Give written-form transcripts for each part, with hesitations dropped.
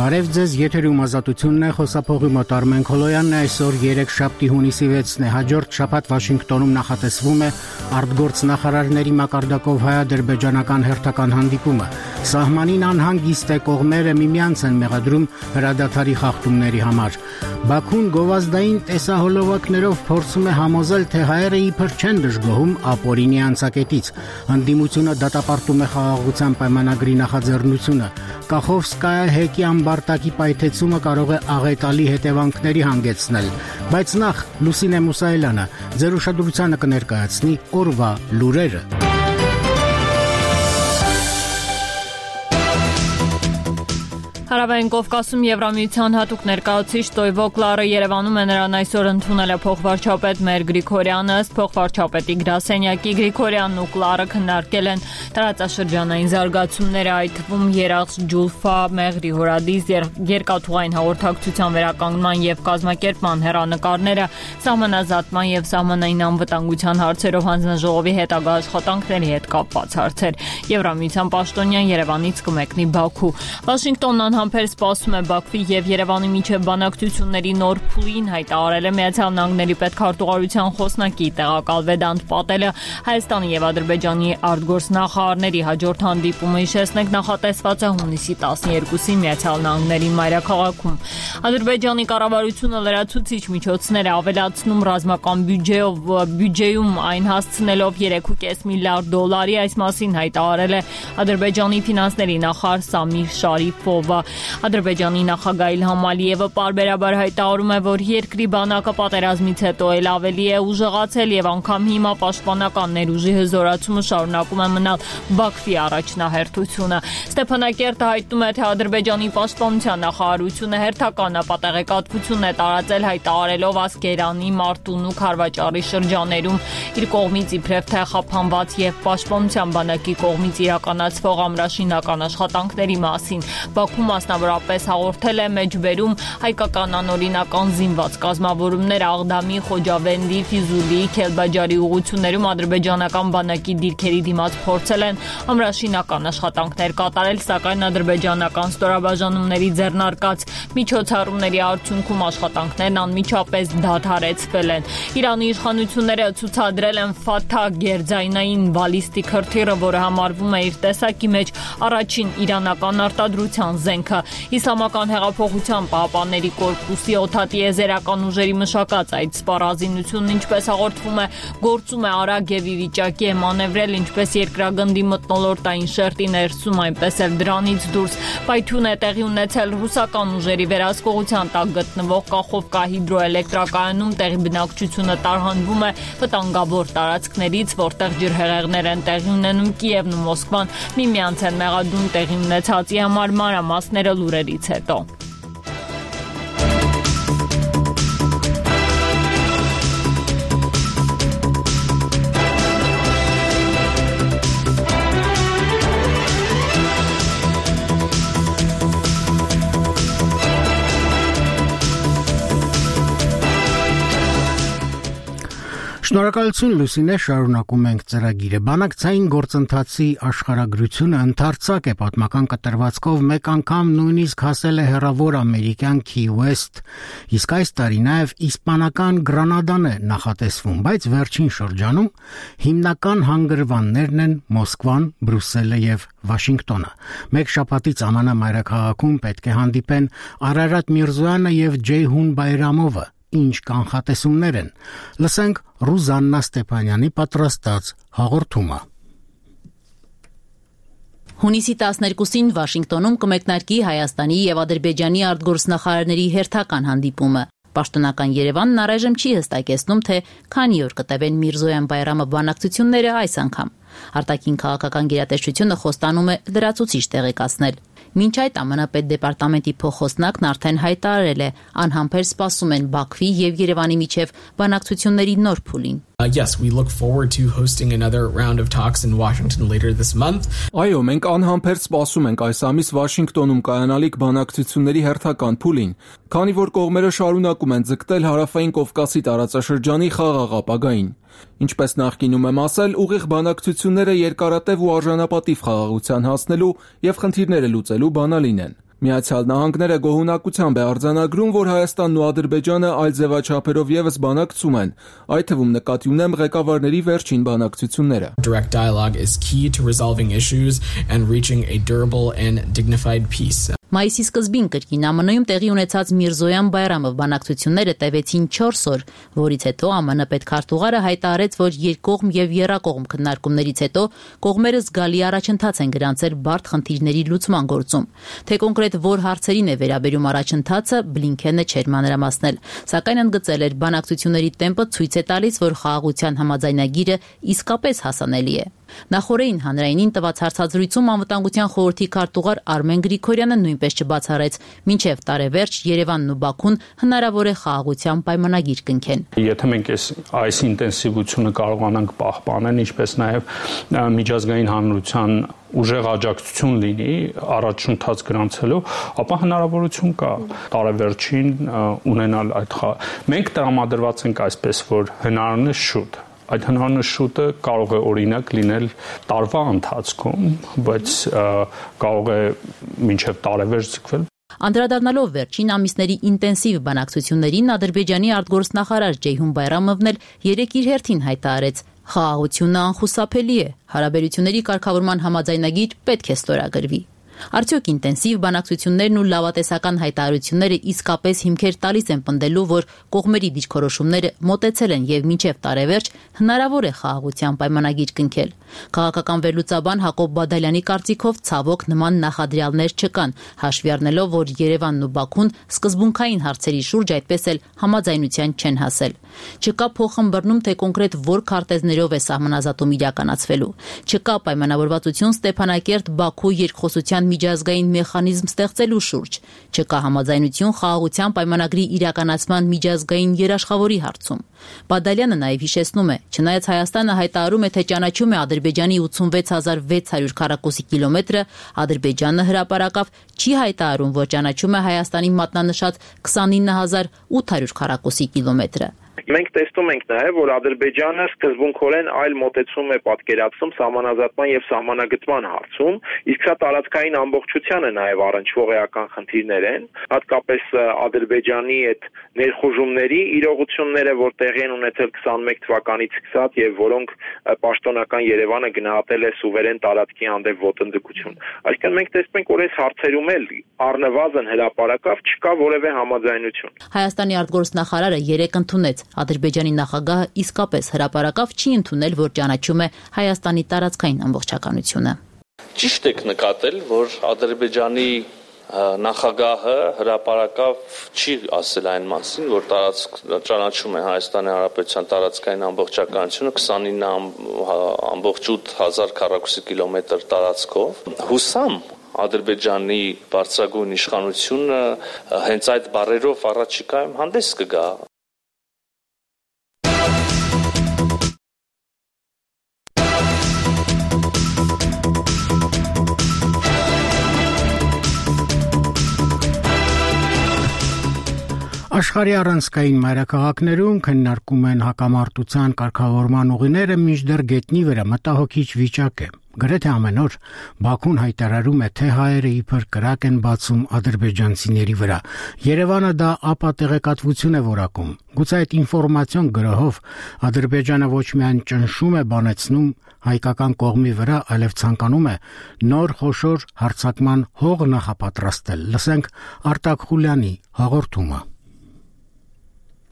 Բարև ձեզ, եթերում Ազատությունն է, խոսափողի մոտ Արմեն Քոլոյանն է, այսօր 3 շաբթի հունիսի 6-ն է, հաջորդ շաբաթ Վաշինգտոնում նախատեսվում է արտգործ նախարարների մակարդակով հայ-ադրբեջանական հերթական հանդիպումը։ Սահմանին անհանգիստ է, կողմերը միմյանց են մեղադրում հրադադարի խախտումների համար։ Բաքուն գովազդային տեսահոլովակներով փորձում է համոզել, թե հայերը իբր չեն դժգոհում ապօրինի անցակետից։ Ընդդիմությունը դատապարտում է խաղաղության պայմանագրի նախաձեռնությունը։ Կախովսկայա հեկի ամբարտակի պայթեցումը կարող է աղետալի հետևանքների հանգեցնել։ Բայց նախ Լուսինե Մուսայելյանը ձեր ուշադրությանը կներկայացնի օրվա լուրերը։ Հարավային Կովկասում Եվրամիության հատուկ ներկայացուցիչ Տոյվո Կլարը Երևանում է, նրան այսօր ընդունել է փոխվարչապետ Մեր Գրիգորյանը, ըստ փոխվարչապետի գրասենյակի Գրիգորյանն ու Կլարը քննարկել են տարածաշրջանային զարգացումները, այդ թվում Երախս, Ջուլֆա, Մեղրի հորադիս, երկաթուղային հաղորդակցության վերականգնման եւ կազմակերպման հեռանկարները, սահմանազատման եւ սահմանային անվտանգության հարցերով հանձնաժողովի հետագա աշխատանքների հետ կապված հարցեր։ Եվրամիության պաշտոնյան Երևանից կմեկնի Բաքու։ Վաշինգտոնն անհամբեր սպասում է Բաքվի եւ Երևանի միջև բանակցությունների նոր փուլին, հայտարարել է Միացյալ Նահանգների պետքարտուղարության խոսնակի տեղակալ Վեդանտ Պատելը։ Հայաստանի եւ Ադրբեջանի արտգործ նախարարների հաջորդ հանդիպումը, հիշեցնենք, նախատեսված է հունիսի 12-ին Միացյալ Նահանգների մայրաքաղաքում։ Ադրբեջանի կառավարությունը լրացուցիչ միջոցներ է ավելացնում ռազմական բյուջեում, այն հասցնելով 3.5 միլիարդ դոլարի, այս մասին հայտարարել է Ադրբեջանի ֆինանսների նախարար Սամիր Շարիփովը։ Ադրբեջանի նախագահ Իլհամ Ալիևը պարբերաբար հայտարարում է, որ երկրի բանակը պատերազմից հետո էլ ավելի է ուժեղացել եւ անգամ հիմա պաշտպանական ներուժի հզորացումը շարունակում է մնալ Բաքվի առաջնահերթությունը։ Ստեփանակերտը հայտնում է, թե Ադրբեջանի պաշտպանության նախարարությունը հերթական ապատեղեկատվություն է տարածել, հայտարարելով Ասկերանի, Մարտունու, Քարվաճարի շրջաներում իր կողմից իբրև թե խափանված եւ պաշտպանության բանակի կողմից իրականացվող ամրաշինական աշխատանքների մասին։ Բաքուն մասնավորապես հաղորդել է մեջբերում հայկական անօրինական զինված կազմավորումներ Աղդամի, Խոջավենդի, Ֆիզուլի, Քելբաջարի ուղություններում ադրբեջանական բանակի դիրքերի դիմաց փորձել են ամրաշինական աշխատանքներ կատարել, սակայն ադրբեջանական ստորաբաժանումների ձեռնարկած միջոցառումների արդյունքում աշխատանքներն անմիջապես դադարեցվել են։ Իրանի իշխանությունները ցուցադրել են Ֆաթահ գերձայնային բալիստիկ հրթիռը, որը համարվում է իր տեսակի մեջ առաջին իրանական արտադրության զենքը։ Իսլամական հեղափոխության պահապանների կորպուսի օդատիեզերական ուժերի մշակած այդ սպառազինությունն, ինչպես հաղորդվում է, գործում է արագ եւ ի վիճակի է մանևրել ինչպես երկրագնդի մթնոլորտային շերտի ներսում, այնպես էլ դրանից դուրս։ Պայթյուն է տեղի ունեցել ռուսական ուժերի վերահսկողության տակ գտնվող Կախովկա հիդրոէլեկտրակայանում, տեղի բնակչությունը տարհանվում է վտանգավոր տարածքներից, որտեղ ջրհեղեղներ են տեղի ունենում։ Կիևն ու Մոսկվան միմյանց են մեղադրում տեղի ունեցածի համար, մանրամասները լուրերից հետո։ Շնորհակալություն Լուսինե, շարունակում ենք ծրագիրը։ Բանակցային գործընթացի աշխարհագրությունը ընդարձակ է պատմական կտրվածքով, մեկ անգամ նույնիսկ հասել է հեռավոր ամերիկյան Key West, իսկ այս տարի նաև իսպանական Գրանադան է նախատեսվում, բայց վերջին շրջանում հիմնական հանգրվաններն են Մոսկվան, Բրյուսելը եւ Վաշինգտոնը։ Մեկ շաբաթից ԱՄՆ մայրաքաղաքում պետք է հանդիպեն Արարատ Միրզոյանը եւ Ջեյհուն Բայրամովը։ Ինչ կանխատեսումներ են։ Լսենք Ռուզաննա Ստեփանյանի պատրաստած հաղորդումը։ Հունիսի 12-ին Վաշինգտոնում կմեկնարկի Հայաստանի եւ Ադրբեջանի արտգործնախարարների հերթական հանդիպումը։ Պաշտոնական Երևանն առայժմ չի հստակեցնում, թե քանի օր կտևեն Միրզոյան-Բայրամով բանակցությունները այս անգամ։ Արտաքին քաղաքական գերատեսչությունը խոստանում է լրացուցիչ տեղեկացնել։ Մինչ այդ ԱՄՆ պետդեպարտամենտի փոխոսնակն արդեն հայտարարել է, անհամբեր սպասում են Բաքվի եւ Երևանի միջև բանակցությունների նոր փուլին։ Yes, we look forward to hosting another round of talks in Washington later this month. Այո, մենք անհամբեր սպասում ենք այս ամիս Վաշինգտոնում կայանալիք բանակցությունների հերթական փուլին, քանի որ կողմերը շարունակում են ձգտել Հարավային Կովկասի տարածաշրջանի խաղաղ ապագային։ Ինչպես նախկինում եմ ասել, ուղիղ բանակցությունները երկարատև ու արժանապատիվ խաղաղության հասնելու եւ խնդիրները լուծելու բանալին են։ Միացյալ Նահանգները գոհունակությամբ է արձանագրում, որ Հայաստանն ու Ադրբեջանը այլ ձևաչափերով եւս բանակցում են, այդ թվում նկատի ունեմ ղեկավարների վերջին բանակցությունները. Direct dialogue is key to resolving issues and reaching a durable and dignified peace. Մայիսի սկզբին կրկին ԱՄՆ-ում տեղի ունեցած Միրզոյան-Բայրամով բանակցությունները տևեցին 4 օր, որից հետո ԱՄՆ պետքարտուղարը հայտարարեց, որ երկկողմ եւ եռակողմ քննարկումներից հետո կողմերը զգալի առաջընթաց են գրանցել բարդ խնդիրների լուծման գործում։ Թե կոնկրետ որ հարցերին է վերաբերում առաջընթացը, Բլինքենը չէր մանրամասնել, սակայն ընդգծել էր բանակցությունների տեմպը ցույց է տալիս, որ խաղաղության համաձայնագիրը իսկապես հասանելի է։ Նախորդին հանրայինին տված հարցազրույցում անվտանգության խորհրդի քարտուղար Արմեն Գրիգորյանը նույնպես չբացառեց, մինչև տարեվերջ Երևանն ու Բաքուն հնարավոր է խաղաղության պայմանագիր կնքեն։ Եթե մենք այս ինտենսիվությունը կարողանանք պահպանել, ինչպես նաև միջազգային հանրության ուժեղ աջակցություն լինի առաջընթաց գրանցելու, ապա հնարավորություն կա տարեվերջին ունենալ այդ Մենք տրամադրված ենք այսպես, որ հնարավորինս շուտ Այդ հնարավորինս շուտը կարող է օրինակ լինել տարվա ընթացքում, բայց կարող է մինչև տարեվերջ ձգվել։ Անդրադառնալով վերջին ամիսների ինտենսիվ բանակցություններին, Ադրբեջանի արտգործնախարար Ջեյհուն Բայրամովն էլ երեկ իր հերթին հայտարարեց. «Խաղաղությունը անխուսափելի է, հարաբերությունների կարգավորման համաձայնագիր պետք է ստորագրվի»։ Արդյոք ինտենսիվ բանակցություններն ու լավատեսական հայտարարությունները իսկապես հիմքեր տալիս են պնդելու, որ կողմերի դիրքորոշումները մոտեցել են եւ մինչեւ տարեվերջ հնարավոր է խաղաղության պայմանագիր կնքել։ Քաղաքական վերլուծաբան Հակոբ Բադալյանի կարծիքով ցավոք նման նախադրյալներ չկան, հաշվի առնելով, որ Երևանն ու Բաքուն սկզբունքային հարցերի շուրջ այդպես էլ համաձայնության չեն հասել։ Չկա փոխըմբռնում, թե կոնկրետ որ քարտեզներով է սահմանազատում իրականացվելու։ Չկա պայմանավորվածություն Ստեփանակերտ-Բաքու երկխոսության միջազգային մեխանիզմ ստեղծելու շուրջ, չկա համաձայնություն խաղաղության պայմանագրի իրականացման միջազգային երաշխավորի հարցում։ Բադալյանը նաև հիշեցնում է, չնայած Հայաստանը հայտարարում է, թե ճանաչում է Ադրբեջանի 86600 քառակուսի կիլոմետրը, Ադրբեջանը հրապարակավ չի հայտարարում, որ ճանաչում է Հայաստանի մատնանշած 29800 քառակուսի կիլոմետրը։ Մենք տեսնում ենք նաև, որ Ադրբեջանը սկզբունքորեն այլ մոտեցում է պատկերացնում սահմանազատման եւ սահմանագծման հարցում, իսկ սա տարածքային ամբողջությանը նաև առնչվող էական խնդիրներ են, հատկապես Ադրբեջանի այդ ներխուժումների իրողությունները, որ տեղի են ունեցել 21 թվականից սկսած եւ որոնք պաշտոնական Երևանը գնահատել է սուվերեն տարածքի հանդեպ ոտնձգություն։ Այսինքն մենք տեսնում ենք, որ այս հարցերում էլ առնվազն հրապարակավ չկա որևէ համաձայնություն։ Հայաստանի արտգործնախարարը երեկ ընդունեց Ադրբեջանի նախագահը իսկապես հրապարակավ չի ընդունել, որ ճանաչում է Հայաստանի տարածքային ամբողջականությունը։ Ճիշտ եք նկատել, որ Ադրբեջանի նախագահը հրապարակավ չի ասել այն մասին, որ ճանաչում է Հայաստանի Հանրապետության տարածքային ամբողջականությունը 29.8 քառակուսի կիլոմետր տարածքով։ Հուսամ Ադրբեջանի բարձրագույն իշխանությունը հենց այդ բառերով առաջիկայում հանդես կգա։ Աշխարհի առանցքային մայրաքաղաքներում քննարկում են հակամարտության կարգավորման ուղիները, մինչդեռ գետնի վրա մտահոգիչ վիճակ է։ Գրեթե ամեն օր Բաքուն հայտարարում է, թե հայերը իբր կրակ են բացում ադրբեջանցիների վրա։ Երևանը դա ապատեղեկատվություն է որակում։ Գուցե այդ ինֆորմացիոն գրոհով Ադրբեջանը ոչ միայն ճնշում է բանեցնում հայկական կողմի վրա, այլև ցանկանում է նոր խոշոր հարձակման հող նախապատրաստել։ Լսենք Արտակ Խուլյանի հաղորդումը։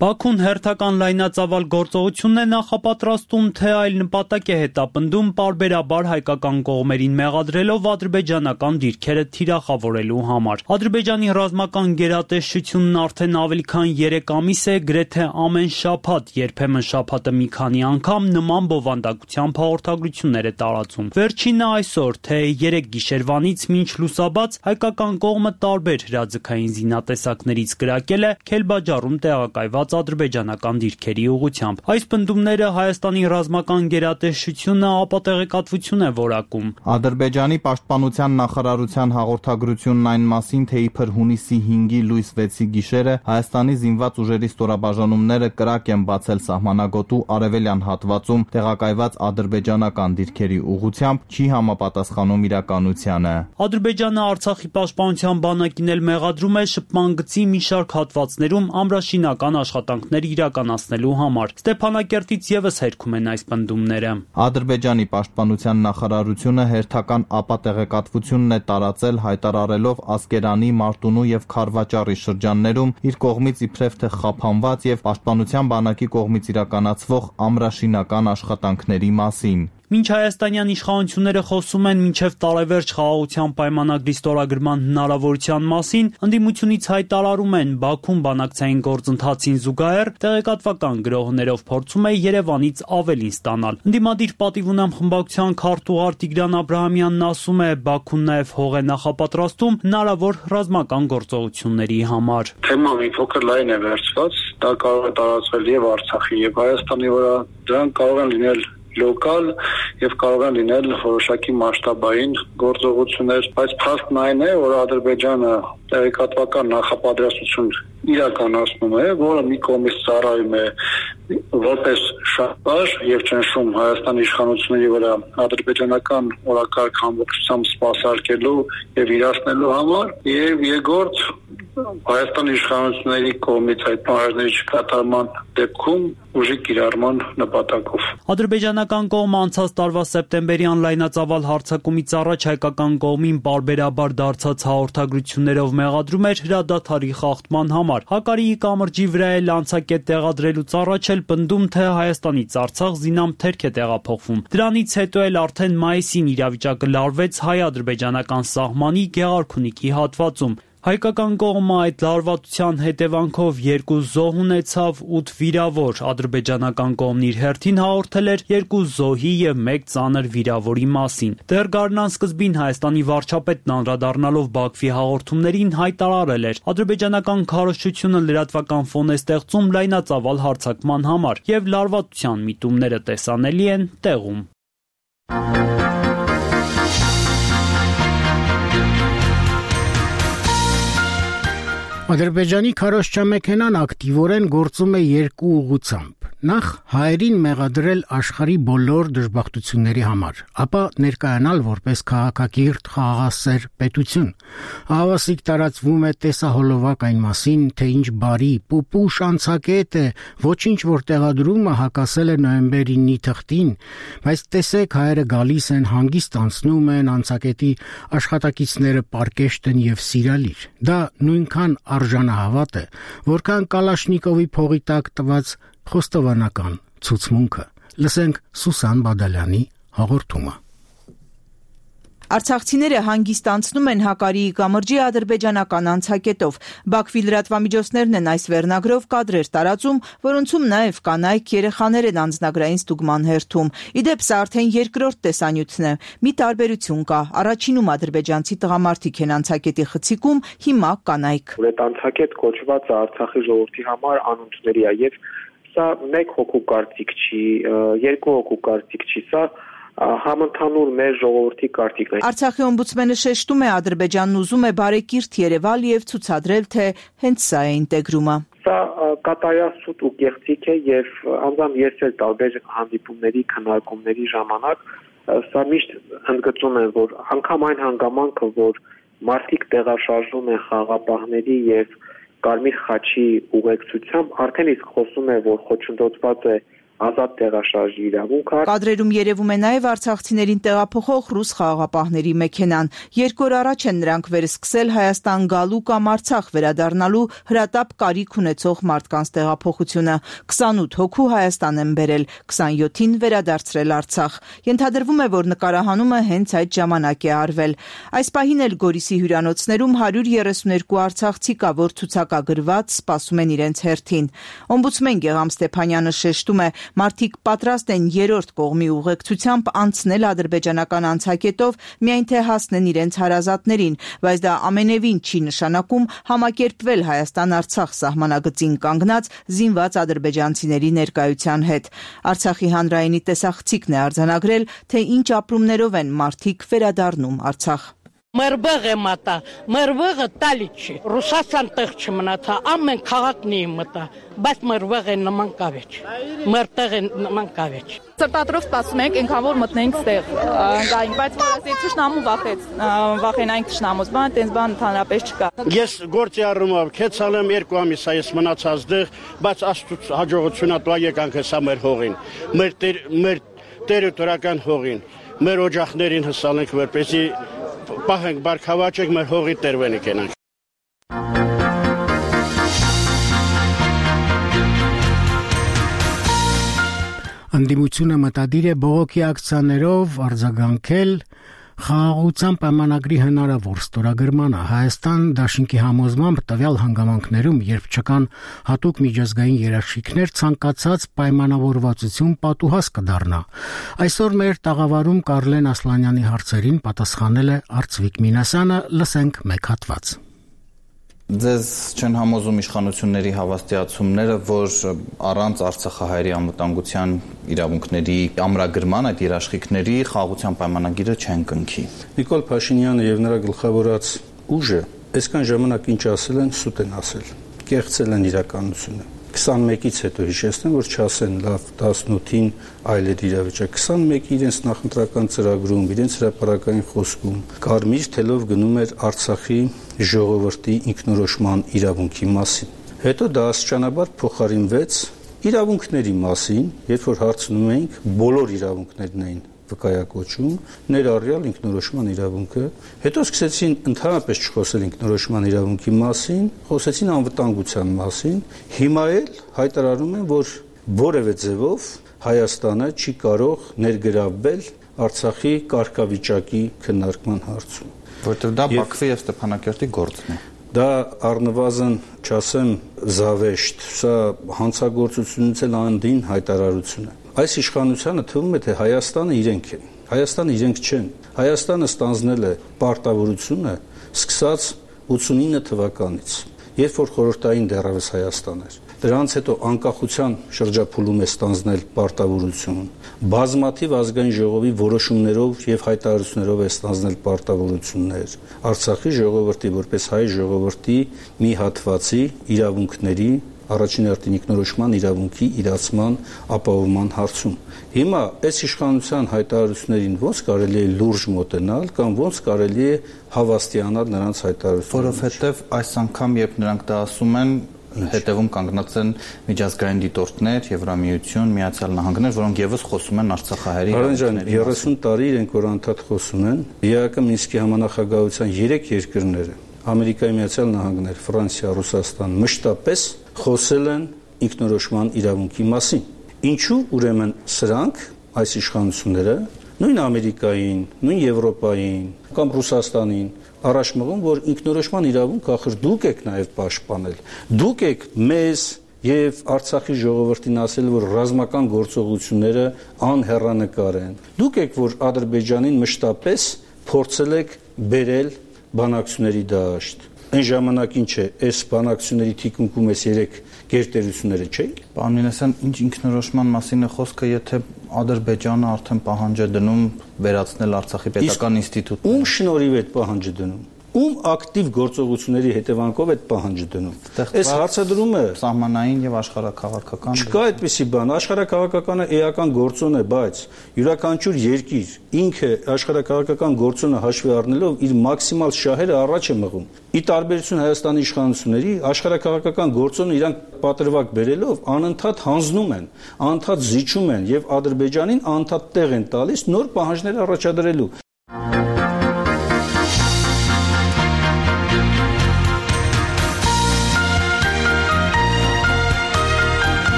Բաքուն հերթական լայնածավալ գործողություն է նախապատրաստում, թե այլ նպատակ է հետապնդում պարբերաբար հայկական կողմերին մեղադրելով ադրբեջանական դիրքերը թիրախավորելու համար։ Ադրբեջանի ռազմական գերատեսչությունն արդեն ավելի քան 3 ամիս է գրեթե ամեն շաբաթ, երբեմն շաբաթը մի քանի անգամ նման բովանդակությամբ հաղորդագրություններ է տարածում։ Վերջինը այսօր, թե 3 գիշերվանից մինչ լուսաբաց հայկական կողմը տարբեր հրաձգային զինատեսակներից կրակել է Քելբաջարում տեղակայված կազմված ադրբեջանական դիրքերի ուղղությամբ։ Այս պնդումները Հայաստանի ռազմական գերատեսչությունը ապատեղեկատվություն է որակում։ Ադրբեջանի պաշտպանության նախարարության հաղորդագրությունն այն մասին, թե իբր հունիսի 5-ի լույս 6-ի գիշերը Հայաստանի զինված ուժերի ստորաբաժանումները կրակ են բացել սահմանագոտու արևելյան հատվածում տեղակայված ադրբեջանական դիրքերի ուղղությամբ, չի համապատասխանում իրականությանը։ Ադրբեջանը Արցախի պաշտպանության բանակին էլ մեղադրում է շփման գծի մի շարք հատվածներում ամրաշինական աշխատանքներ իրականացնելու համար։ Ստեփանակերտից եւս հերքում են այս պնդումները։ Ադրբեջանի պաշտպանության նախարարությունը հերթական ապատեղեկատվությունն է տարածել, հայտարարելով Ասկերանի, Մարտունու եւ Խարվաճառի շրջաններում իր կողմից իբրև թե խափանված եւ պաշտպանության բանակի կողմից իրականացվող ամրաշինական աշխատանքների մասին։ Մինչ հայաստանյան իշխանությունները խոսում են մինչև տարեվերջ խաղաղության պայմանագրի ստորագրման հնարավորության մասին, ընդդիմությունից հայտարարում են Բաքուն բանակցային գործընթացին զուգահեռ տեղեկատվական գրոհներով փորձում է Երևանից ավելին ստանալ։ Ընդդիմադիր պատիվ ունեմ խմբակցության քարտուղար Տիգրան Աբրահամյանն ասում է, Բաքուն նաև հող է նախապատրաստում հնարավոր ռազմական գործողությունների համար։ Թեման մի փոքր լայն է վերցված, դա կարող է տարածվել եւ Արցախի եւ Հայաստանի վրա, դրանք կարող են լինել լոկալ եւ կարող են լինել որոշակի մասշտաբային գործողություններ, բայց փաստն այն է, որ Ադրբեջանը տեղեկատվական նախապատրաստություն իրականացնում է, որը մի կողմից ծառայում է որպես շահբար եւ ճնշում Հայաստանի իշխանությունների վրա ադրբեջանական օրակարգ ամբողջությամբ սպասարկելու եւ իրացնելու համար, եւ երկրորդ Հայաստանի իշխանությունների կողմից այդ պահանջների չկատարման դեպքում ուժի կիրառման նպատակով։ Ադրբեջանական կողմը անցած տարվա սեպտեմբերյան լայնածավալ հարձակումից առաջ հայկական կողմին պարբերաբար դարձած հաղորդագրություններով մեղադրում էր հրադադարի խախտման համար։ Հակարիի կամրջի վրա էլ անցակետ տեղադրելուց առաջ էլ պնդում, թե Հայաստանից Արցախ զինամթերք է տեղափոխվում։ Դրանից հետո էլ արդեն մայիսին իրավիճակը լարվեց հայ-ադրբեջանական սահմանի Գեղարքունիքի հատվածում։ Հայկական կողմը այդ լարվածության հետևանքով 2 զոհ ունեցավ, 8 վիրավոր։ Ադրբեջանական կողմն իր հերթին հաղորդել էր 2 զոհի եւ 1 ծանր վիրավորի մասին։ Դեռ գարնան սկզբին Հայաստանի վարչապետն անդրադառնալով Բաքվի հաղորդումներին հայտարարել էր. ադրբեջանական քարոզչությունը լրատվական ֆոն է ստեղծում լայնածավալ հարձակման համար եւ լարվածության միտումները տեսանելի են տեղում։ Ադրբեջանի քարոզչամեքենան ակտիվորեն գործում է 2 ուղղությամբ։ Նախ հայերին մեղադրել աշխարհի բոլոր դժբախտությունների համար, ապա ներկայանալ որպես քաղաքակիրթ խաղաղասեր պետություն։ Հավասիկ տարածվում է տեսահոլովակ այն մասին, թե ինչ բարի, պուպուշ անցակետ է, ոչինչ որ տեղադրումը հակասել է նոյեմբերի 9-ի թղթին, բայց տեսեք հայերը գալիս են, հանգիստ անցնում են, անցակետի աշխատակիցները պարկեշտ են եւ սիրալիր։ Դա նույնքան արժանահավատ է, որքան Կալաշնիկովի փողի տակ տված խոստովանական ցուցմունքը։ Լսենք Սուսան Բադալյանի հաղորդումը։ Արցախցիները հանգիստ անցնում են Հակարիի կամրջի ադրբեջանական անցակետով։ Բաքվի լրատվամիջոցներն են այս վերնագրով կադրեր տարածում, որոնցում նաև կանայք, երեխաներ են անձնագրային ստուգման հերթում։ Իդեպ սա արդեն երկրորդ տեսանյութն է։ Մի տարբերություն կա։ Առաջինում ադրբեջանցի տղամարդիկ են անցակետի խցիկում, հիմա կանայք։ Այդ անցակետ կոչված Արցախի ժողովրդի համար անընդունելի է եւ սա 1 հոգու կարծիք չի, 2 հոգու կարծիք չի, սա համընդհանուր մեր ժողովրդի կարծիքն է։ Արցախի օմբուդսմենը շեշտում է Ադրբեջանն ուզում է բարեկիրթ Երևալ եւ ցուցադրել, թե հենց սա է ինտեգրումը։ Սա կատարյասուտ ու կեղծիք է եւ անձամբ ես էլ տարբեր հանդիպումների, քննարկումների ժամանակ սա միշտ ընդգծում եմ, որ անգամ այն հանգամանքը, որ մարդիկ տեղաշարժում են խաղապահների եւ Կարմիր խաչի ուղեկցությամբ, արդեն իսկ խոսում է, որ խոչընդոտված է ազատ տեղաշարժի իրավունքը։ Կադրերում երևում է նաև արցախցիներին տեղափոխող ռուս խաղաղապահների մեքենան։ 2 օր առաջ են նրանք վերսկսել Հայաստան գալու կամ Արցախ վերադառնալու հրատապ կարիք ունեցող մարդկանց տեղափոխությունը։ 28 հոգու Հայաստան են բերել, 27-ին վերադարձրել Արցախ։ Ենթադրվում է, որ նկարահանումը հենց այդ ժամանակ է արվել։ Այս պահին էլ Գորիսի հյուրանոցներում 132 արցախցի կա, որ ցուցակագրված սպասում են իրենց հերթին։ Օմբուդսմեն Գեղամ Ստեփանյանը շեշտում է, Մարդիկ պատրաստ են երրորդ կողմի ուղեկցությամբ անցնել ադրբեջանական անցակետով, միայն թե հասնեն իրենց հարազատներին, բայց դա ամենևին չի նշանակում համակերպվել Հայաստան-Արցախ սահմանագծին կանգնած զինված ադրբեջանցիների ներկայության հետ։ Արցախի հանրայինի տեսախցիկն է արձանագրել, թե ինչ ապրումներով են մարդիկ վերադառնում Արցախ։ Մեր բեղը մտա, մեր բեղը տալիչի, Ռուսաստան տեղ չմնացա, ամեն քաղաքն է մտա, բայց մեր բեղը նման կավեջ, մեր տեղը նման կավեջ։ Սրտատրով սպասում ենք, ինքան որ մտնենք ստեղ, գայինք, բայց որ ասի թշնամու վախենայինք թշնամուց, բան, տենց բան ընդհանրապես չկա։ Ես գործի առումով քեցալ եմ 2 ամիս է ես մնացած դեղ, բայց աստուծո հաջողությունա տա եկանք հեսա մեր հողին, մեր տերիտորիական հողին, մեր օջախներին հսալ ենք, որպեսզի պահենք բարգավաճենք մեր հողի տերվենի կենանք։ Ընդդիմությունը մտադիր է բողոքի ակցիաներով արձագանքել խաղաղության պայմանագրի հնարավոր ստորագրմանը։ Հայաստան դաշինքի համոզմամբ տվյալ հանգամանքներում, երբ չկան հատուկ միջազգային երաշխիքներ, ցանկացած պայմանավորվածություն պատուհաս կդառնա։ Այսօր մեր տաղավարում Կարլեն Ասլանյանի հարցերին պատասխանել է Արծվիկ Մինասյանը, լսենք մեկ հատված։ Ձեզ չեն համոզում իշխանությունների հավաստիացումները, որ առանց Արցախահայերի անվտանգության իրավունքների ամրագրման այդ երաշխիքների խաղաղության պայմանագիրը չեն կնքի։ Նիկոլ Փաշինյանը եւ նրա գլխավորած ուժը այսքան ժամանակ ինչ ասել են, սուտ են ասել, կեղծել են իրականությունը։ 21-ից հետո հիշեցնեմ, որ չասեն լավ 18-ին այլ էր իրավիճակ։ 21-ի իրենց նախընտրական ծրագրում, իրենց հրապարակային խոսքում կարմիր թելով գնում էր Արցախի ժողովրդի ինքնորոշման իրավունքի մասին։ Հետո դա աստիճանաբար փոխարինվեց իրավունքների մասին, երբ որ հարցնում էինք, բոլոր իրավունքներն էին վկայակոչում, ներառյալ ինքնորոշման իրավունքը, հետո սկսեցին ընդհանրապես չխոսել ինքնորոշման իրավունքի մասին, խոսեցին անվտանգության մասին, հիմա էլ հայտարարում են, որ որևէ ձևով Հայաստանը չի կարող ներգրավվել Արցախի կարգավիճակի քննարկման հարցում, որտեղ դա Բաքվի եւ Ստեփանակերտի գործն է։ Դա առնվազն չասեմ զավեշտ, սա հանցագործությունից էլ անդին հայտարարություն է։ Այս իշխանությանը թվում է, թե Հայաստանը իրենք են։ Հայաստանը իրենք չեն։ Հայաստանը ստանձնել է պարտավորությունը սկսած 89 թվականից, երբ որ խորհրդային դեռևս Հայաստան էր։ Դրանից հետո անկախության շրջափուլում է ստանձնել պարտավորություն, բազմաթիվ ազգային ժողովի որոշումներով եւ հայտարարություններով է ստանձնել պարտավորություններ, Արցախի ժողովրդի որպես հայ ժողովրդի մի հատվածի իրավունքների առաջին հերթին ինքնորոշման իրավունքի իրացման ապահովման հարցում։ Հիմա այս իշխանության հայտարարություններին ոնց կարելի է լուրջ մոտենալ կամ ոնց կարելի է հավաստիանալ նրանց հայտարարություններին։ Որովհետև այս անգամ, երբ նրանք դա ասում են, հետևում կանգնած են միջազգային դիտորդներ, Եվրամիություն, Միացյալ Նահանգներ, որոնք եւս խոսում են Արցախահայերի իրավունքների մասին։ 30 տարի իրենք որ անդադ խոսում են, ԵԱԿ Մինսկի համանախագահության 3 երկրները, Ամերիկայի Միացյալ Նահանգներ, Ֆրանսիա, Ռուսաստան մշտապես խոսել են ինքնորոշման իրավունքի մասին։ Ինչու ուրեմն սրանք, այս իշխանությունները, նույն Ամերիկային, նույն Եվրոպային կամ Ռուսաստանին առաջ մղում, որ ինքնորոշման իրավունքը ախր դուք եք նաև պաշտպանել։ Դուք եք մեզ եւ Արցախի ժողովրդին ասել, որ ռազմական գործողությունները անհեռանկար են։ Դուք եք, որ Ադրբեջանին մշտապես փորձել եք բերել բանակցությունների դաշտ։ Այն ժամանակ ինչ է, այս բանակցությունների թիկունքում էս 3 գերտերությունները չէին։ Պարոն Մինասյան, ինչ ինքնորոշման մասին է խոսքը, եթե Ադրբեջանը արդեն պահանջ է դնում վերացնել Արցախի պետական ինստիտուտը։ Ում շնորհիվ է պահանջը դնում։ Ում ակտիվ գործողությունների հետևանքով այդ պահանջը դնում։ Այս հարցադրումը սահմանային եւ աշխարհակաղակական չկա այդպիսի բան, աշխարհակաղակականը էական գործոն է, բայց յուրաքանչյուր երկիր ինքը աշխարհակաղակական գործոնը հաշվի առնելով իր մաքսիմալ շահերը առաջ է մղում։ Ի տարբերություն Հայաստանի իշխանությունների, աշխարհակաղակական գործոնը իրանք պատրվակ բերելով անընդհատ հանձնում են, անընդհատ զիջում են եւ Ադրբեջանին անընդհատ տեղ են տալիս նոր պահանջներ առաջադրելու։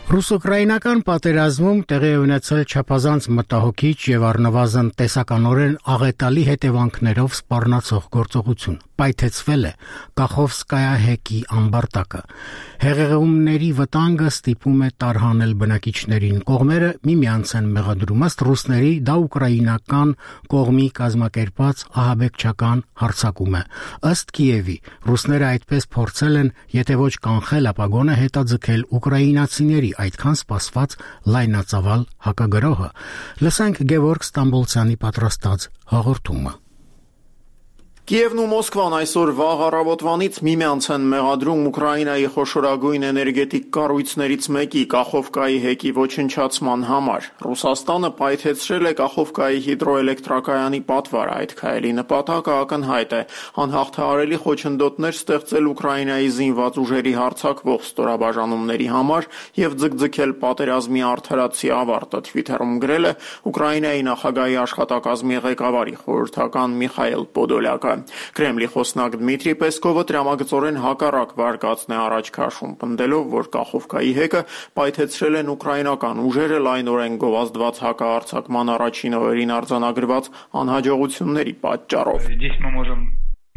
Ռուս-ուկրաինական պատերազմում տեղի ունեցել չափազանց մտահոգիչ եւ առնվազն տեսականորեն աղետալի հետևանքներով սպառնացող գործողություն։ պայթեցվել է Կախովսկայա հեկի ամբարտակը։ Հեղեղումների վտանգը ստիպում է տարհանել բնակիչներին։ Կողմերը միմյանց են մեղադրում, ըստ ռուսների դա ուկրաինական կողմի կազմակերպած ահաբեկչական հարձակում է։ Ըստ Կիևի, ռուսները այդպես փորձել են, եթե ոչ կանխել, ապա գոնե հետաձգել ուկրաինացիների այդքան սպասված լայնածավալ հակագրոհը։ Լսենք Գևորգ Ստամբոլցյանի պատրաստած հաղորդումը։ Կիևն ու Մոսկվան այսօր վաղ առավոտվանից միմյանց են մեղադրում Ուկրաինայի խոշորագույն էներգետիկ կառույցներից մեկի Կախովկայի հեկի ոչնչացման համար։ Ռուսաստանը պայթեցրել է Կախովկայի հիդրոէլեկտրակայանի պատվարը։ Այդ քայլի նպատակը ակնհայտ է՝ անհաղթահարելի խոչընդոտներ ստեղծել Ուկրաինայի զինված ուժերի հարձակվող ստորաբաժանումների համար եւ ձգձգել պատերազմի արդարացի ավարտը, Twitter-ում գրել է Ուկրաինայի նախագահի աշխատակազմի ղեկավարի խորհրդական Միխայել Պոդոլյակը։ Կրեմլի խոսնակ Դմիտրի Պեսկովը տրամագծորեն հակառակ վարկածն է առաջ քաշում, պնդելով, որ Կախովկայի հեկը պայթեցրել են ուկրաինական ուժերը լայնորեն գովազդված հակահարձակման առաջին օրերին արձանագրված անհաջողությունների պատճառով։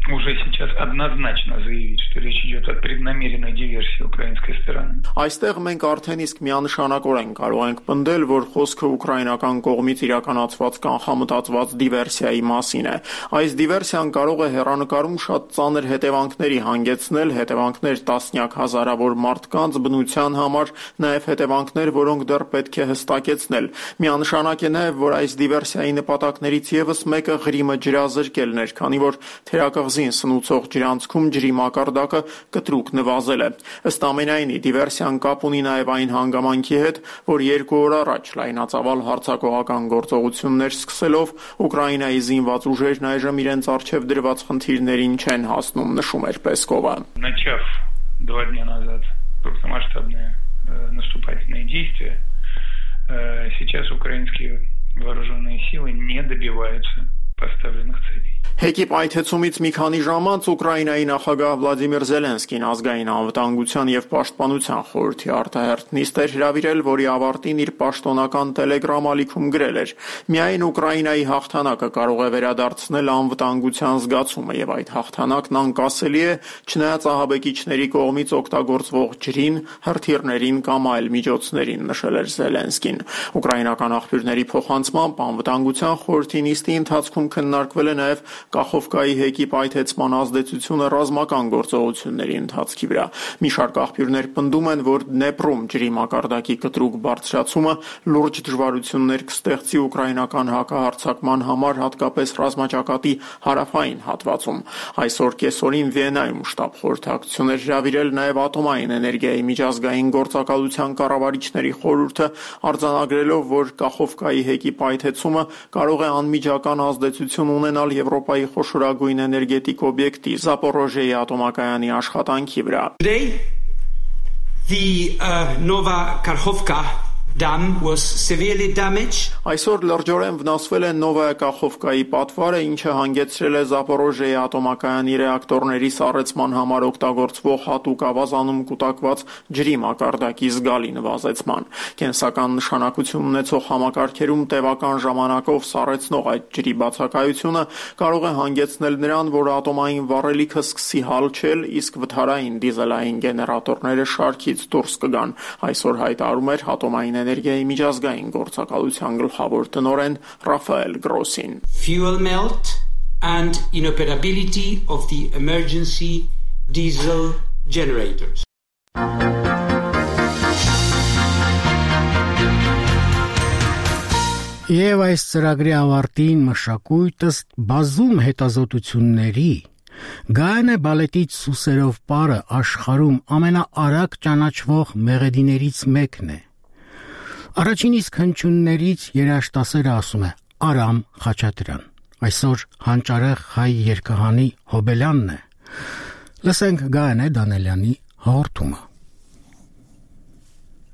Уже сейчас однозначно заявить, что речь идет о преднамеренной диверсии украинской стороны. Այստեղ մենք արդեն իսկ միանշանակորեն կարող ենք պնդել, որ խոսքը ուկրաինական կողմից իրականացված կանխամտածված դիվերսիայի մասին է։ Այս դիվերսիան կարող է հեռանկարում շատ ծանր հետևանքների հանգեցնել, հետևանքներ տասնյակ հազարավոր մարդկանց բնության համար, նաև հետևանքներ, որոնք դեռ պետք է հստակեցնել։ Միանշանակ է նաև, որ այս դիվերսիայի նպատակներից եւս մեկը Ղրիմը ջրազրկելն էր, քանի որ թերակղզին սնուցող ջրանցքում ջրի մակարդակը կտրուկ նվազել է։ Ըստ ամենայնի, դիվերսիան կապ ունի նաև այն հանգամանքի հետ, որ 2 օր առաջ լայնածավալ հարձակողական գործողություններ սկսելով Ուկրաինայի զինված ուժերն այժմ իրենց առջև դրված խնդիրներին չեն հասնում, նշում էր Պեսկովը։ Начав 2 дня назад крупномасштабные наступательные действия, сейчас украинские вооруженные силы не добиваются поставленных целей. Հեկի պայթեցումից մի քանի ժամ անց Ուկրաինայի նախագահ Վլադիմիր Զելենսկին ազգային անվտանգության եւ պաշտպանության խորհրդի արտահերթ նիստ էր հրավիրել, որի ավարտին իր պաշտոնական Telegram ալիքում գրել էր. «Միայն Ուկրաինայի հաղթանակը կարող է վերադարձնել անվտանգության զգացումը եւ այդ հաղթանակն անկասելի է, չնայած ահաբեկիչների կողմից օգտագործվող ջրին, հրթիռներին կամ այլ միջոցներին», նշել էր Զելենսկին։ Ուկրաինական աղբյուրների փոխանցմամբ անվտանգության խորհրդի նիստի ընթացքում քննարկվել է նաեւ Կախովկայի հեկի պայթեցման ազդեցությունը ռազմական գործողությունների ընթացքի վրա։ Մի շարք աղբյուրներ պնդում են, որ Դնեպրում ջրի մակարդակի կտրուկ բարձրացումը լուրջ դժվարություններ կստեղծի ուկրաինական հակահարձակման համար, հատկապես ռազմաճակատի հարավային հատվածում։ Այսօր կեսօրին Վիեննայում շտաբ խորհրդակցություն էր հրավիրել նաև ատոմային էներգիայի միջազգային գործակալության կառավարիչների խորհուրդը, արձանագրելով, որ Կախովկայի հեկի պայթեցումը կարող է անմիջական ազդեցություն ունենալ Եվրոպայի խոշորագույն էներգետիկ օբյեկտի Զապորոժիեի ատոմակայանի աշխատանքի վրա։ Today, the Nova-Kakhovka dam was severely damaged. Այսօր լրջորեն վնասվել է Նովայա Կախովկայի պատվարը, ինչը հանգեցրել է Զապորոժիեի ատոմակայանի ռեակտորների սառեցման համար օգտագործվող հատուկ ավազանում կուտակված ջրի մակարդակի զգալի նվազեցման։ Կենսական նշանակություն ունեցող համակարգերում տևական ժամանակով սառեցնող այդ ջրի բացակայությունը կարող է հանգեցնել նրան, որ ատոմային վառելիքը սկսի հալչել, իսկ վթարային դիզելային գեներատորները շարքից դուրս կգան։ Այսօր հայտարարում էր ատոմային էներգիայի միջազգային գործակալության գլխավոր տնօրեն Ռաֆայել Գրոսին։ Fuel melt and inoperability of the emergency diesel generators. Եվ այս ծրագրի ավարտին մշակույթը բազում հետազոտությունների Գայանե բալետից սուսերով պարը աշխարհում ամենաարագ ճանաչվող մեղեդիներից մեկն է։ Առաջին իսկ հնչյուններից երաժշտասերը ասում է Արամ Խաչատրյան։ Այսօր հանճարեղ հայ երգահանի հոբելյանն է։ Լսենք Գայանե Դանելյանի հաղորդումը։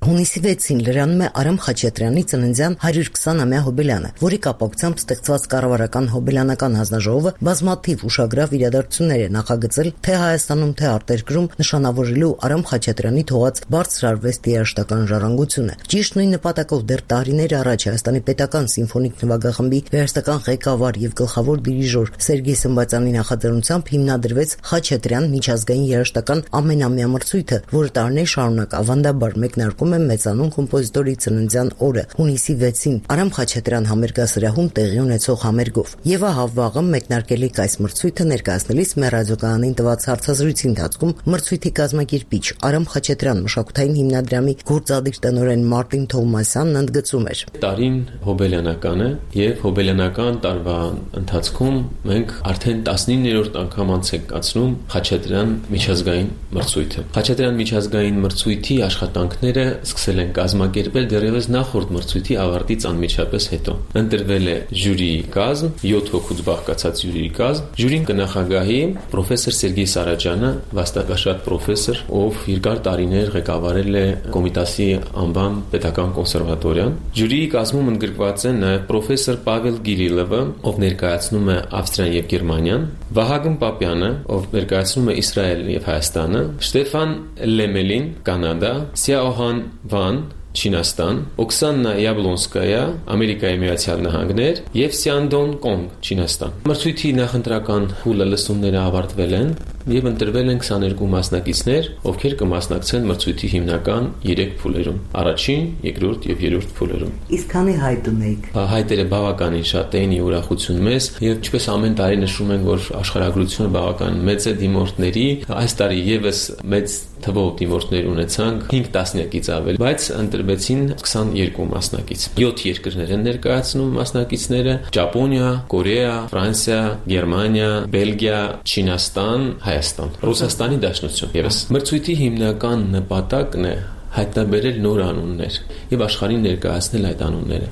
Հունիսի 6-ին լրանում է Արամ Խաչատրյանի ծննդյան 120-ամյա հոբելյանը, որի կապակցությամբ ստեղծված կառավարական հոբելյանական հանձնաժողովը բազմաթիվ ուշագրավ իրադարձություններ է նախագծել թե Հայաստանում, թե արտերկրում նշանավորելու Արամ Խաչատրյանի թողած բարձր արվեստի երաժշտական ժառանգությունը։ Ճիշտ նույն նպատակով դեռ տարիներ առաջ Հայաստանի պետական սիմֆոնիկ նվագախմբի երաժշտական ղեկավար եւ գլխավոր դիրիժոր Սերգեյ Սմբատյանի նախաձեռնությամբ հիմնադրվեց Խաչատրյան միջազգային երաժշտական ամենամյա մրցույթը, որը տարիներ շարունակ ավանդաբար մեկնարկում է մեծանուն կոմպոզիտորի ծննդյան օրը հունիսի 6-ին Արամ Խաչատրյան համերգասրահում տեղի ունեցող համերգով։ Եվ ահա վաղը մեկնարկելիք այս մրցույթը ներկայացնելիս մեր ռադիոկայանին տված հարցազրույցի ընթացքում մրցույթի կազմակերպիչ Արամ Խաչատրյան մշակութային հիմնադրամի գործադիր տնօրեն Մարտին Թովմասյանն ընդգծում էր. Տարին հոբելյանական է եւ հոբելյանական տարվա ընթացքում մենք արդեն 19-րդ անգամ անցկացնում Խաչատրյան միջազգային մրցույթը։ Խաչատրյան միջազգային մրցույթի աշխատանքները սկսել են կազմակերպել դեռևս նախորդ մրցույթի ավարտից անմիջապես հետո։ Ընտրվել է ժյուրիի կազմ, 7 հոգուց բաղկացած ժյուրիի կազմ։ Ժյուրին կնախագահի պրոֆեսոր Սերգեյ Սարաջյանը, վաստակաշատ պրոֆեսոր, ով երկար տարիներ ղեկավարել է Կոմիտասի անվան պետական կոնսերվատորիան։ Ժյուրիի կազմում ընդգրկված են նաև պրոֆեսոր Պավել Գիրիլովը, ով ներկայացնում է Ավստրիան եւ Գերմանիան, Վահագն Պապյանը, ով ներկայացնում է Իսրայելը եւ Հայաստանը, Շտեֆան Լեմելին, Կանադա, Սիաոհան Վան, Չինաստան, Օքսանա Յաբլոնսկայա, Ամերիկայի Միացյալ Նահանգներ եւ Սյանդոն Կոնգ, Չինաստան։ Մրցույթի նախընտրական փուլը լսումները ավարտվել են եւ ընտրվել են 22 մասնակիցներ, ովքեր կմասնակցեն մրցույթի հիմնական 3 փուլերում՝ առաջին, երկրորդ եւ երրորդ փուլերում։ Իսկ քանի հայտ ունեիք։ Հայտերը բավականին շատ էին, ուրախություն մեծ, եւ ինչպես ամեն տարի նշում ենք, որ աշխարհագրությունը բավական մեծ է դիմորդների, այս տարի եւս մեծ թվով դիմորդներ ունեցանք, 5 տասնյակից ավել, բայց ընտրվեցին 22 մասնակից։ 7 երկրներ են ներկայացնում մասնակիցները՝ Ճապոնիա, Կորեա, Ֆրանսիա, Գերմանիա, Բելգիա, Չինաստան, Հայաստան, Ռուսաստանի Դաշնություն։ Եվս մրցույթի հիմնական նպատակն է հայտնաբերել նոր անուններ եւ աշխարհին ներկայացնել այդ անունները։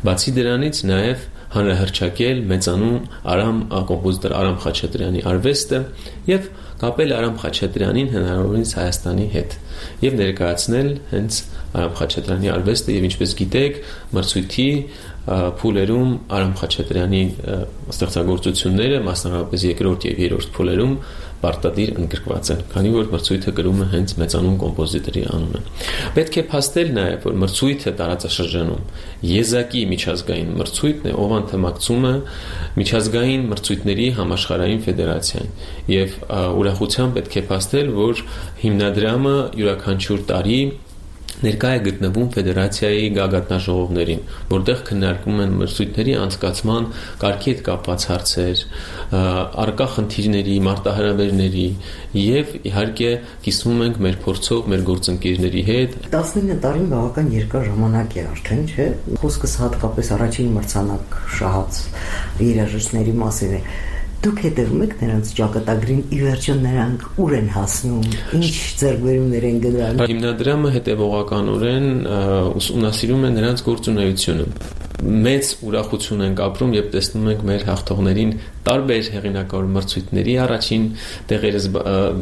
Բացի դրանից նաեւ հանրահռչակել մեծանուն կոմպոզիտոր Արամ Խաչատրյանի արվեստը եւ կապել Արամ Խաչատրյանին հնարավորինս Հայաստանի հետ եւ ներկայացնել հենց Արամ Խաչատրյանի արվեստը եւ ինչպես գիտեք մրցույթի փուլերում Արամ Խաչատրյանի ստեղծագործությունները մասնավորապես երկրորդ եւ երրորդ փուլերում պարտադիր ընդգրկված են, քանի որ մրցույթը կրում է հենց մեծանուն կոմպոզիտորի անունը։ Պետք է փաստել նաեւ, որ մրցույթը տարածաշրջանում եզակի միջազգային մրցույթն է, ով անդամակցում է միջազգային մրցույթների համաշխարհային ֆեդերացիային եւ ուրախությամբ պետք է փաստել, որ հիմնադրամը յուրաքանչյուր տարի ներկայ է գտնվում ֆեդերացիայի գագաթնաժողովներին, որտեղ քննարկում են մրցույթների անցկացման կարգի հետ կապված հարցեր, առկա խնդիրների, մարտահրավերների եւ իհարկե կիսվում ենք մեր փորձով, մեր գործընկերների հետ։ 19 տարին բավական երկար ժամանակ է արդեն, չէ՞։ Խոսքս հատկապես առաջին մրցանակ շահած երաժիշտների մասին է։ Դուք հետևում եք նրանց ճակատագրին, ի վերջո նրանք ուր են հասնում, ինչ ձեռքբերումներ են գտնում։ Հիմնադրամը հետևողականորեն ուսումնասիրում է նրանց գործունեությունը։ Մեծ ուրախություն ենք ապրում, երբ տեսնում ենք մեր հաղթողներին տարբեր հեղինակավոր մրցույթների առաջին տեղերը,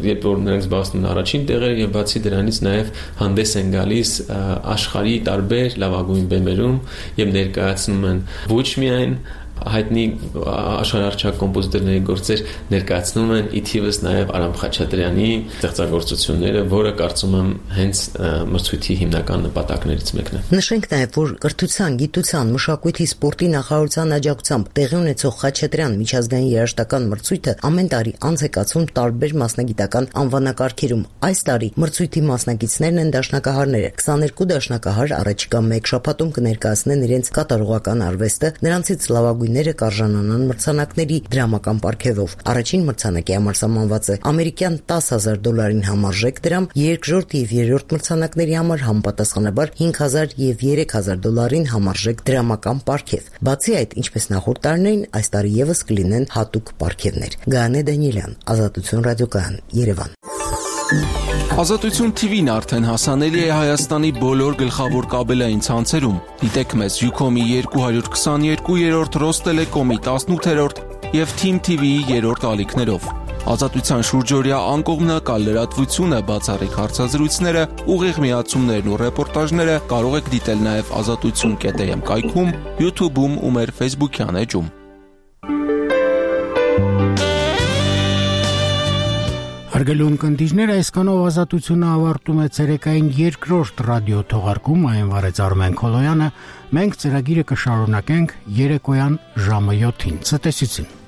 երբ որ նրանք զբաղեցնում են առաջին տեղերը եւ բացի դրանից նաեւ հանդես են գալիս աշխարհի տարբեր լավագույն բեմերում եւ ներկայացնում են ոչ միայն հայտնի աշխարհարչակ կոմպոզիտորների գործեր, ներկայացնում են իթիվս նաև Արամ Խաչատրյանի ստեղծագործությունները, որը կարծում եմ հենց մրցույթի հիմնական նպատակներից մեկն է։ Նշենք նաև, որ կրթության, գիտության, մշակույթի, սպորտի նախարարության աջակցությամբ տեղի ունեցող Խաչատրյան միջազգային երաժշտական մրցույթը ամեն տարի անց է կացվում տարբեր մասնագիտական անվանակարգերում։ Այս տարի մրցույթի մասնակիցներն են դաշնակահարները։ 22 դաշնակահար առաջիկա 1 շաբաթում կներկայացնեն իրենց կատարողական արվեստը, նրանցից լավագույնները կարժանանան մրցանակների դրամական պարգևով։ Առաջին մրցանակի համար սահմանված է ամերիկյան $10,000 համարժեք դրամ, երկրորդ եւ երրորդ մրցանակների համար համապատասխանաբար $5,000 եւ $3,000 համարժեք դրամական պարգև։ Բացի այդ, ինչպես նախորդ տարիներին, այս տարի եւս կլինեն հատուկ պարգևներ։ Գայանե Դանիելյան, Ազատություն ռադիոկայան, Երևան։ Ազատություն TV-ն արդեն հասանելի է Հայաստանի բոլոր գլխավոր կաբելային ցանցերում։ Դիտեք մեզ Ucom-ի 222, Rosttelecom-ի 18 եւ Team TV-ի 3-րդ ալիքներով։ Ազատության շուրջօրյա անկողմնակալ լրատվությունը, բացառիկ հարցազրույցները, ուղիղ միացումներն ու ռեպորտաժները կարող եք դիտել նաև azatutsun.am կայքում, YouTube-ում ու մեր Facebook-յան էջում։ Հարգելի ունկնդիրներ, այսքանով Ազատությունը ավարտում է ցերեկային երկրորդ ռադիո թողարկում, այն վարեց Արմեն Քոլոյանը։ Մենք ծրագիրը կշարունակենք երեկոյան ժամը 7-ին։ Ցտեսություն։